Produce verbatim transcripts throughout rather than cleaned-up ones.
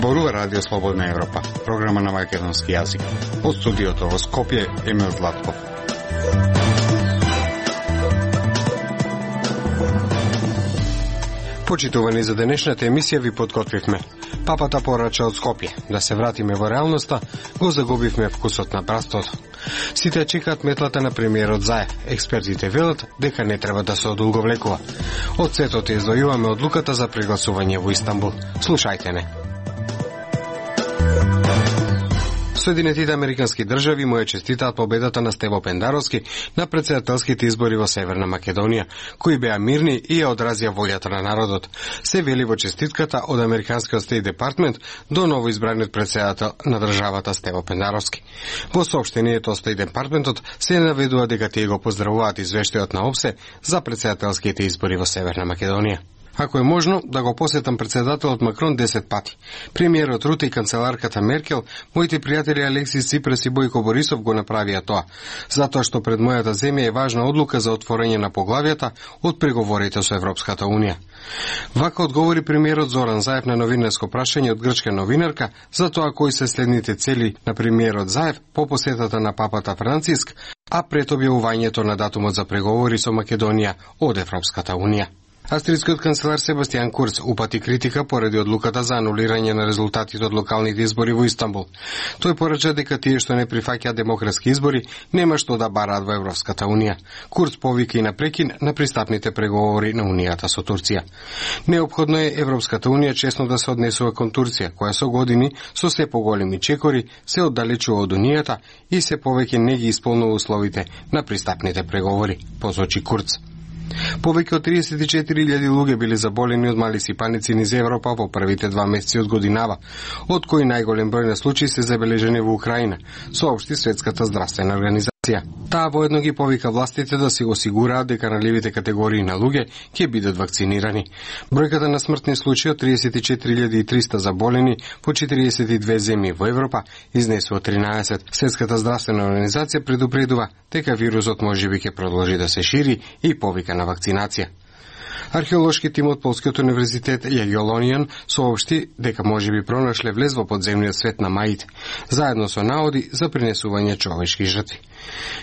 Зборува Радио Слободна Европа, програма на македонски јазик. Од студиото во Скопје, Емил Златков. Почитувани за денешната емисија ви подготвивме. Папата порача од Скопје. Да се вратиме во реалноста, го загубивме вкусот на прастото. Сите чекаат метлата на премиерот Заев. Експертите велат дека не треба да се одолговлекува. Од светот извојуваме одлуката за прегласување во Истанбул. Слушајте не. Соединетите американски држави му ја честитаат победата на Стево Пендаровски на претседателските избори во Северна Македонија, кои беа мирни и ја одразија волјата на народот. Се вели во честитката од Американскиот Стейт Департмент до новоизбраниот претседател на државата Стево Пендаровски. Во соопштението од Стейт Департментот се наведува дека тие го поздравуваат извештајот на ОПСЕ за претседателските избори во Северна Македонија. Ако е можно, да го посетам претседателот Макрон десет пати. Премиерот Руте и канцеларката Меркел, моите пријатели Алексис Ципрас и Бојко Борисов го направија тоа, затоа што пред мојата земја е важна одлука за отворање на поглавијата од преговорите со Европската Унија. Вака одговори премиерот Зоран Заев на новинарско прашање од грчка новинарка за тоа кои се следните цели на премиерот Заев по посетата на папата Франциск, а пред објавувањето на датумот за преговори со Македонија од Европската Унија. Австрискиот канцелар Себастијан Курц упати критика поради одлуката за анулирање на резултатите од локалните избори во Истанбул. Тој порача дека тие што не прифаќаат демократски избори нема што да бараат во Европската Унија. Курц повика и на прекин на пристапните преговори на Унијата со Турција. Неопходно е Европската Унија честно да се однесува кон Турција, која со години со се поголеми чекори се оддалечува од Унијата и се повеќе не ги исполнува условите на пристапните преговори, посочи Курц. Повеќе од триесет и четири илјади луѓе биле заболени од малиси паници низ Европа во првите два месеци од годинава, од кои најголем број на случаи се забележени во Украина, соопшти Светската здравствена организација. Таа воедно ги повика властите да се осигураат дека ranливите категории на луѓе ќе бидат вакцинирани. Бројката на смртни случаи од триесет и четири илјади и триста заболени во четириесет и две земји во Европа изнесува тринаесет. Светската здравствена организација предупредува дека вирусот можеби ќе продолжи да се шири и повика на вакцинација. Археолошки тим од Полскиот универзитет Јагелонијан соопшти дека можеби пронашле влез во подземниот свет на маите, заедно со наоди за принесување човечки жртви.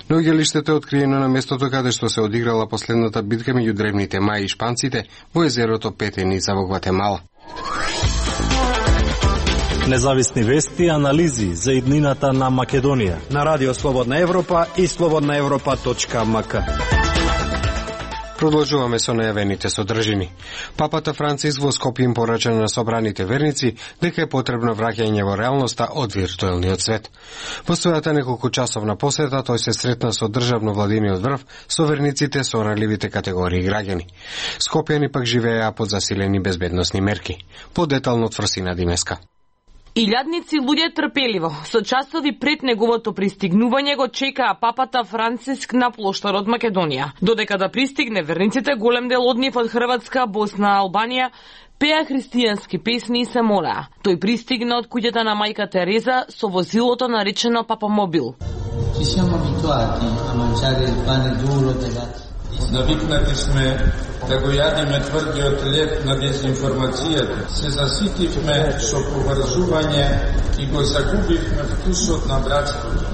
Наоѓалиштето е откриено на местото каде што се одиграла последната битка меѓу древните маи и шпанците во езерото Петеница во Гватемала. Независни вести и анализи за иднината на Македонија на Радио Слободна Европа и слободна европа точка ем ка. Продолжуваме со најавените содржини. Папата Франциск во Скопје им порача на собраните верници дека е потребно враќање во реалноста од виртуелниот свет. Во својата неколку часовна посета тој се сретна со државно владиниот врв со верниците со ранливите категории граѓани. Скопјани пак живееа под засилени безбедносни мерки. Подетално од Фрсина Димеска. Илјадници луѓе трпеливо, со часови пред неговото пристигнување го чекаа папата Франциск на плоштарот Македонија. Додека да пристигне, верниците, голем дел од нив од Хрватска, Босна, Албанија, пеа христијански песни и се молеа. Тој пристигна од куќата на мајка Тереза со возилото наречено Папамобил. Ci siamo abituati a mangiare il pane duro della Навикнати сме да го јадиме тврдиот леп на дезинформацијата. Се заситивме со поврзување и го загубивме вкусот на братството.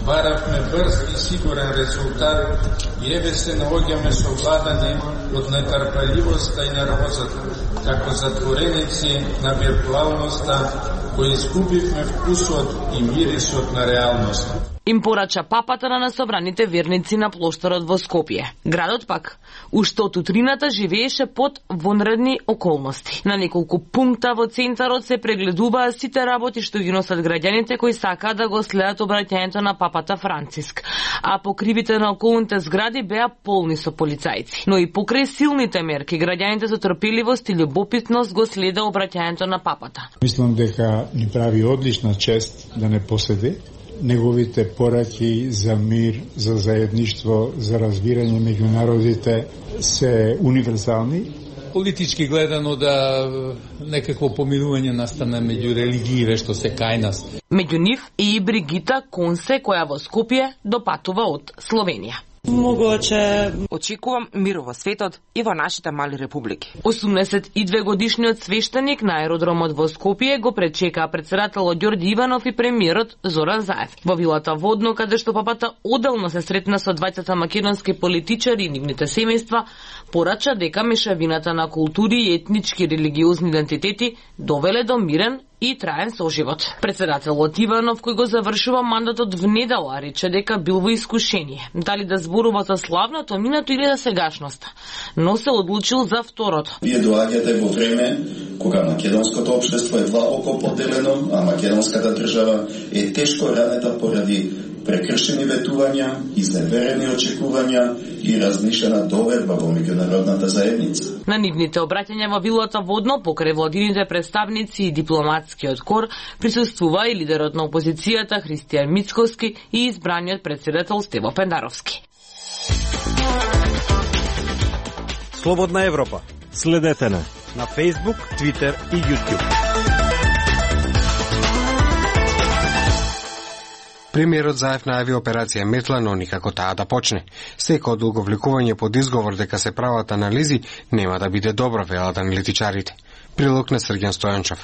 Баравме брз и сигурен резултат и еве се наоѓаме совладани од нетрпеливоста и нервозата, како затвореници на виртуалноста, кои изгубивме вкусот и мирисот на реалноста. Им порача папата на насобраните верници на плоштарот во Скопје. Градот пак, уште од утрината живееше под вонредни околности. На неколку пункта во центарот се прегледуваа сите работи што ги носат граѓаните кои сакаат да го следат обраќањето на папата Франциск. А покривите на околните згради беа полни со полицајци. Но и покрај силните мерки, граѓаните со трпеливост и љубопитност го следа обраќањето на папата. Мислам дека ни прави одлична чест да не поседи. Неговите пораки за мир, за заедништво, за разбирање меѓу народите се универзални. Политички гледано да некакво помирување настане меѓу религиите што се кај нас. Меѓу нив и Бригита Консе, која во Скопје допатува од Словенија. Могуче очекувам мир во светот и во нашите мали републики. осумдесет и две годишниот свештеник на аеродромот во Скопје го пречекаа председателот Ѓорѓи Иванов и премиерот Зоран Заев. Во вилата Водно, каде што папата одделно се сретна со двајцата македонски политичари и нивните семејства, порача дека мешавината на култури и етнички и религиозни идентитети довеле до мирен и траен соживот. Председателот Иванов, кој го завршува мандатот внедела, рече дека бил во искушение дали да зборува за славното минато или за сегашноста, но се одлучил за второто. Вие доаѓате во време кога македонското општество е длабоко поделено, а македонската држава е тешко ранета поради прекршени ветувања, изневерени очекувања и размишена доверба во меѓународната заедница. На нивните обраќања во вилата Водно покрај владините представници и дипломатскиот кор присуствува и лидерот на опозицијата Христијан Мицкоски и избраниот председател Стево Пендаровски. Слободна Европа. Следете на на Facebook, Twitter и YouTube. Премиерот Заев најави операција Метла, но никако таа да почне. Секој одолговлекување под изговор дека се прават анализи нема да биде добро, велат аналитичарите. Прилог на Срѓан Стојанчев.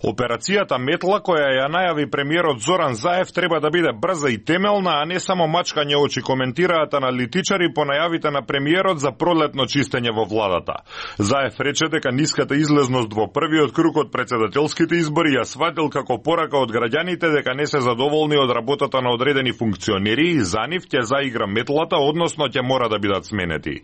Операцијата Метла, која ја најави премиерот Зоран Заев, треба да биде брза и темелна, а не само мачкање очи, коментираат аналитичари по најавите на премиерот за пролетно чистење во владата. Заев рече дека ниската излезност во првиот круг од председателските избори ја сватил како порака од граѓаните дека не се задоволни од работата на одредени функционери и за нив ќе заигра метлата, односно ќе мора да бидат сменети.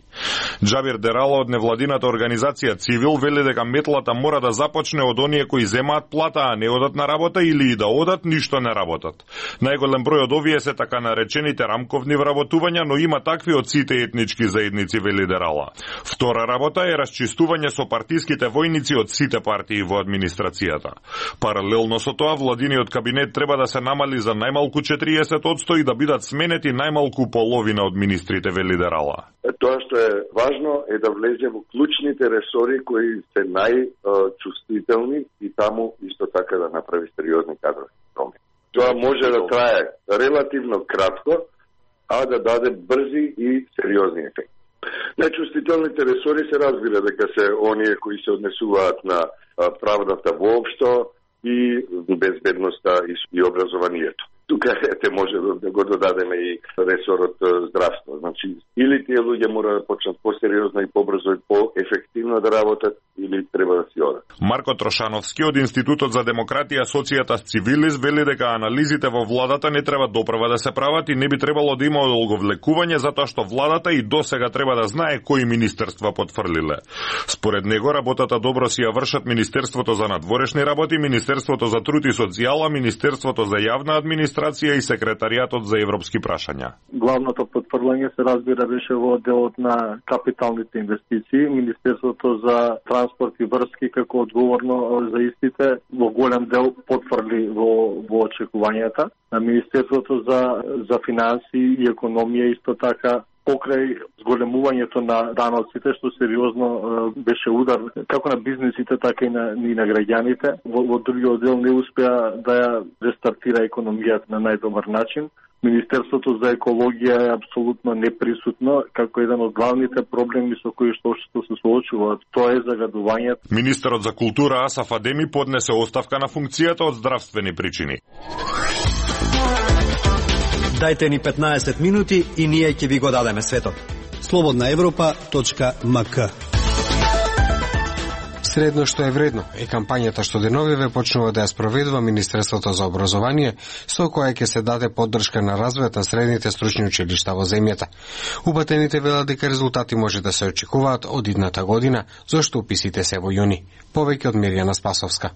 Џабир Дерала од невладината организација Цивил вели дека метлата мора да започне од оние кои земаат плата, а не одат на работа, или и да одат, ништо не работат. Најголем број од овие се така наречените рамковни вработувања, но има такви од сите етнички заедници, вели Дерала. Втора работа е расчистување со партиските војници од сите партии во администрацијата. Паралелно со тоа, владиниот кабинет треба да се намали за најмалку четириесет одсто и да бидат сменети најмалку половина од министрите, вели Дерала. Тоа што е важно е да влезе во клучните ресори кои се најчувствителни и таму исто така да направи сериозни кадрови промени. Тоа може да трае релативно кратко, а да даде брзи и сериозни ефекти. Најчувствителните ресори се разбира дека се оние кои се однесуваат на правдата воопшто и безбедноста и образованието. Тука ете може да го додадеме и ресорот здравство. Значи, или тие луѓе мора да почнат посериозно и побрзо и поефективно да работат, или треба да си одат. Марко Трошановски од Институтот за демократија Социјата Цивилис вели дека анализите во владата не треба допрва да се прават и не би требало да има одолговлекување, затоа што владата и досега треба да знае кои министерства потврлиле. Според него работата добро си ја вршат Министерството за надворешни работи, Министерството за труд и социјала, Министерството за јавна администрација и Секретаријатот за европски прашања. Главното потврлање се разбира беше во делот на капиталните инвестиции, Министерството за транспорт и врски како одговорно за истите во голем дел потврди во, во очекувањата. На Министерството за, за финанси и економија исто така покрај зголемувањето на даноците, што сериозно е, беше удар како на бизнисите, така и на, и на граѓаните. Во, во другиот дел не успеа да ја рестартира економијата на најдобар начин. Министерството за екологија е апсолутно неприсутно, како еден од главните проблеми со кои што општеството се соочува. Тоа е загадувањето. Министерот за култура Асаф Адеми поднесе оставка на функцијата од здравствени причини. Дајте ни петнаесет минути и ние ќе ви го дадеме светот. слободна европа точка ем ка. Средно што е вредно е кампањата што деновиве почнува да ја спроведува Министерството за образование, со која ќе се даде поддршка на развојот на средните стручни училишта во земјата. Упатените велат дека резултати може да се очекуваат од идната година, зашто уписите се во јуни. Повеќе од Мирјана Спасовска.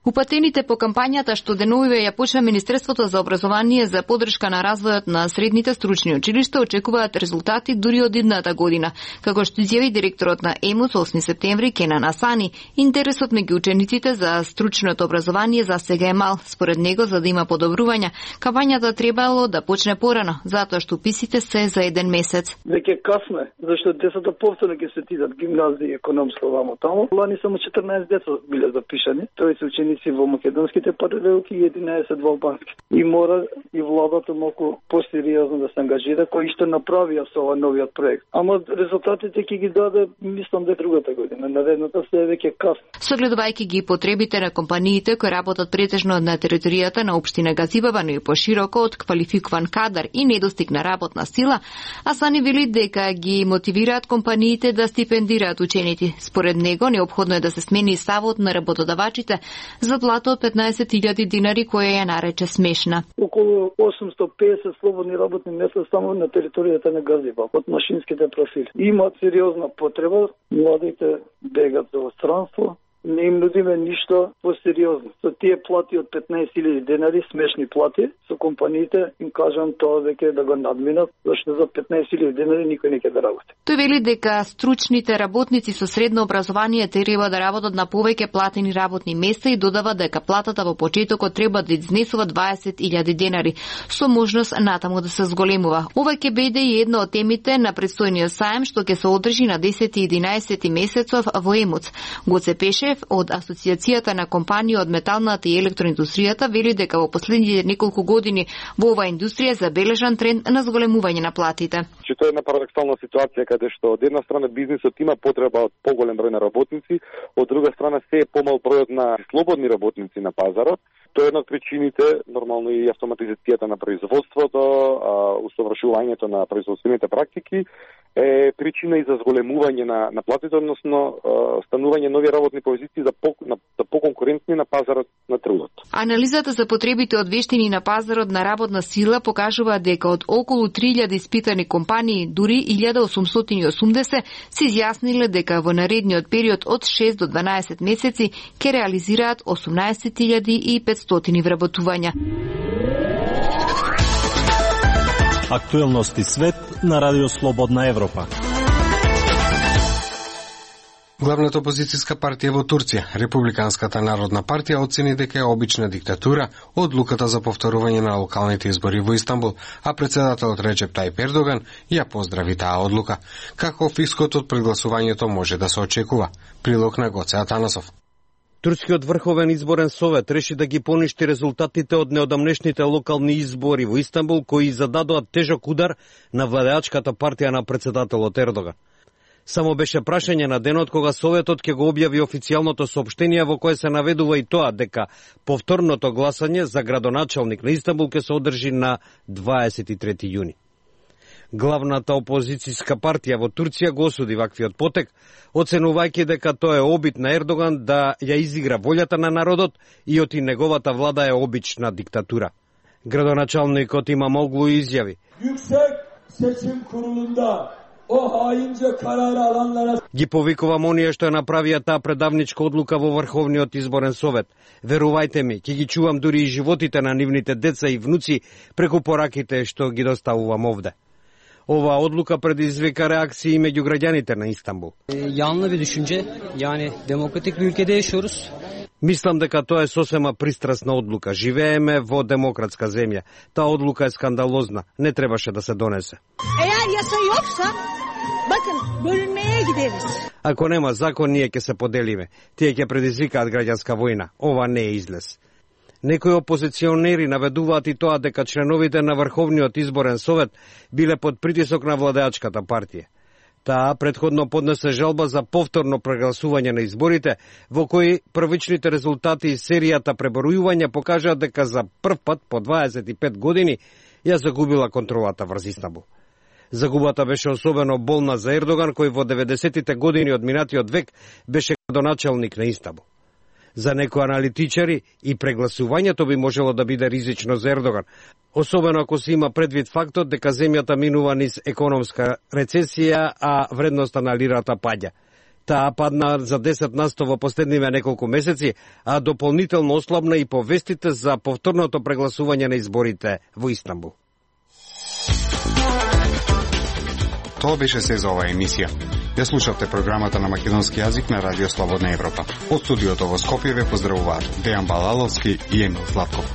Упатените по кампањата што деновиве ја почна Министерството за образование за поддршка на развојот на средните стручни училишта очекуваат резултати дури од идната година. Како што изјави директорот на ЕМУС осми септември Кенан Асани, интересот меѓу учениците за стручното образование за сега е мал. Според него, за да има подобрувања, кампањата требало да почне порано, затоа што уписите се за еден месец. Веќе касно е, зашто децата повторно ќе се тидат гимназија и економска вамо таму. Лани само четрнаесет деца биле запишани, тројца ученици работници во македонските паралелки и единаесет во албански. И мора и владата малку посериозно да се ангажира, кој што направија со овој новиот проект. Ама резултатите ќе ги даде, мислам, дека другата година. Наредната се е веќе касно. Согледувајќи ги потребите на компаниите кои работат претежно на територијата на општина Газибаба, но и пошироко од квалификуван кадар и недостиг на работна сила, Асани вели дека ги мотивираат компаниите да стипендираат ученици. Според него, неопходно е да се смени ставот на работодавачите за плата од петнаесет илјади динари, која ја нарече смешна. Околу осумсто песет слободни работни места само на територијата на Газибаб од машинските профили. Имаат сериозна потреба, младите бегат за странство. Не им нудиме ништо посериозно. Со тие плати од петнаесет илјади денари, смешни плати, со компаниите им кажам тоа веќе да го надминат, зашто за петнаесет илјади денари никој не ќе да работи. Тој вели дека стручните работници со средно образование треба да работат на повеќе платени работни места и додава дека платата во почетокот треба да изнесува дваесет илјади денари, со можност натаму да се зголемува. Ова ќе биде и една од темите на предстојниот саем што ќе се одржи на десети и единаесети месецов во Емуц. Гоце Пеше од Асоциацијата на компании од металната и електроиндустријата вели дека во последните неколку години во оваа индустрија забележан тренд на зголемување на платите. Че тоа е една парадоксална ситуација каде што од една страна бизнисот има потреба од поголем број на работници, од друга страна се е помал бројот на слободни работници на пазарот. Тоа е една од причините, нормално и автоматизацијата на производството, усовршувањето на производствените практики е причина и за зголемување на, на платите, односно станување нови работни позиции за, по, на, за поконкурентни на пазарот на трудот. Анализата за потребите од вештини на пазарот на работна сила покажува дека од околу три илјади испитани компании, дури илјада осумстотини и осумдесет се изјасниле дека во наредниот период од шест до дванаесет месеци ќе реализираат осумнаесет илјади и петстотини вработувања. Актуелности свет на Радио Слободна Европа. Главната опозицијска партија во Турција, Републиканската народна партија, оцени дека е обична диктатура одлуката за повторување на локалните избори во Истанбул, а председателот Реджеп Тајип Ердоган ја поздрави таа одлука. Каков исход од прегласувањето може да се очекува? Прилог на Гоце Атанасов. Турскиот врховен изборен совет реши да ги поништи резултатите од неодамнешните локални избори во Истанбул, кои зададоа тежок удар на владеачката партија на председателот Ердоган. Само беше прашање на денот кога Советот ќе го објави официјалното соопштение во кое се наведува и тоа дека повторното гласање за градоначалник на Истанбул ќе се одржи на дваесет и трети јуни. Главната опозицијска партија во Турција го осуди ваквиот потек, оценувајќи дека тоа е обид на Ердоган да ја изигра волјата на народот и оти неговата влада е обична диктатура. Градоначалникот Имамоглу изјави: Ги повикувам оние што ја направија таа предавничка одлука во Врховниот изборен совет. Верувајте ми, ќе ги чувам дури и животите на нивните деца и внуци преку пораките што ги доставувам овде. Ова одлука предизвика реакции меѓу граѓаните на Истанбул. Yanlı bir düşünce. Yani demokratik bir ülkede yaşıyoruz. Мислам дека тоа е сосема пристрасна одлука. Живееме во демократска земја. Таа одлука е скандалозна. Не требаше да се донесе. Eğer yasa yoksa bakın bölünmeye gideriz. Ако нема закон, ние ќе се поделиме. Тие ќе предизвикаат граѓанска војна. Ова не е излез. Некои опозиционери наведуваат и тоа дека членовите на Врховниот изборен совет биле под притисок на владеачката партија. Таа претходно поднесе жалба за повторно прегласување на изборите, во кои првичните резултати и серијата пребројувања покажаат дека за прв пат по дваесет и пет години ја загубила контролата врз Истанбул. Загубата беше особено болна за Ердоган, кој во деветдесетите години од минатиот век беше градоначалник на Истанбул. За некои аналитичари и прегласувањето би можело да биде ризично за Ердоган, особено ако се има предвид фактот дека земјата минува низ економска рецесија, а вредноста на лирата паѓа. Таа падна за десет на сто во последниве неколку месеци, а дополнително ослабна и повестите за повторното прегласување на изборите во Истанбул. Тоа беше се за оваа емисија. Ја слушавте програмата на македонски јазик на Радио Слободна Европа. Од студиото во Скопје ве поздравуваат Дејан Балаловски и Емил Златков.